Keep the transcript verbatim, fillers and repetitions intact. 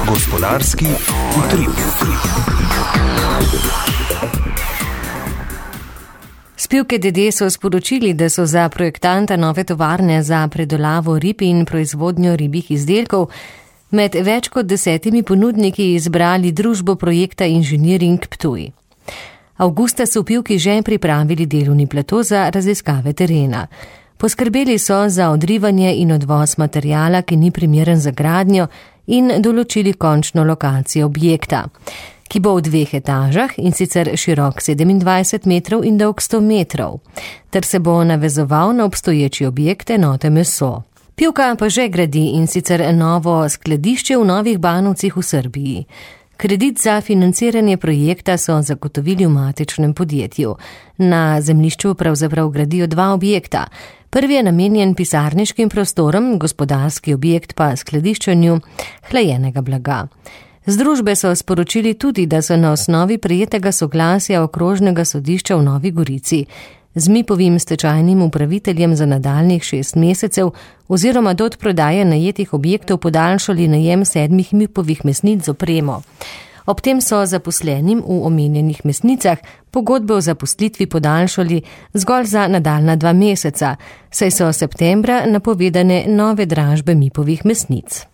Gospodarski utrip. Spivke D D so sporočili, da so za projektanta nove tovarne za predelavo rib in proizvodnjo ribjih izdelkov med več kot desetimi ponudniki izbrali družbo projekta Inženiring Ptuj. Avgusta so Pivki že pripravili delovni plato za raziskave terena. Poskrbeli so za odrivanje in odvoz materijala, ki ni primeren za gradnjo, in določili končno lokacijo objekta, ki bo v dveh etažah, in sicer širok sedemindvajset metrov in dolg sto metrov, ter se bo navezoval na obstoječi objekt enote Meso. Pivka pa že gradi, in sicer novo skladišče v Novih Banovcih v Srbiji. Kredit za financiranje projekta so zagotovili v matičnem podjetju. Na zemljišču pravzaprav gradijo dva objekta. Prvi je namenjen pisarniškim prostorom, gospodarski objekt pa skladiščenju hlajenega blaga. Z družbe so sporočili tudi, da so na osnovi prejetega soglasja Okrožnega sodišča v Novi Gorici z Mipovim stečajnim upraviteljem za nadaljnjih šest mesecev oziroma do odprodaje najetih objektov podaljšali najem sedmih Mipovih mesnic z opremo. Ob tem so zaposlenim v omenjenih mesnicah pogodbe o zaposlitvi podaljšali zgolj za nadaljnja dva meseca, saj so septembra napovedane nove dražbe Mipovih mesnic.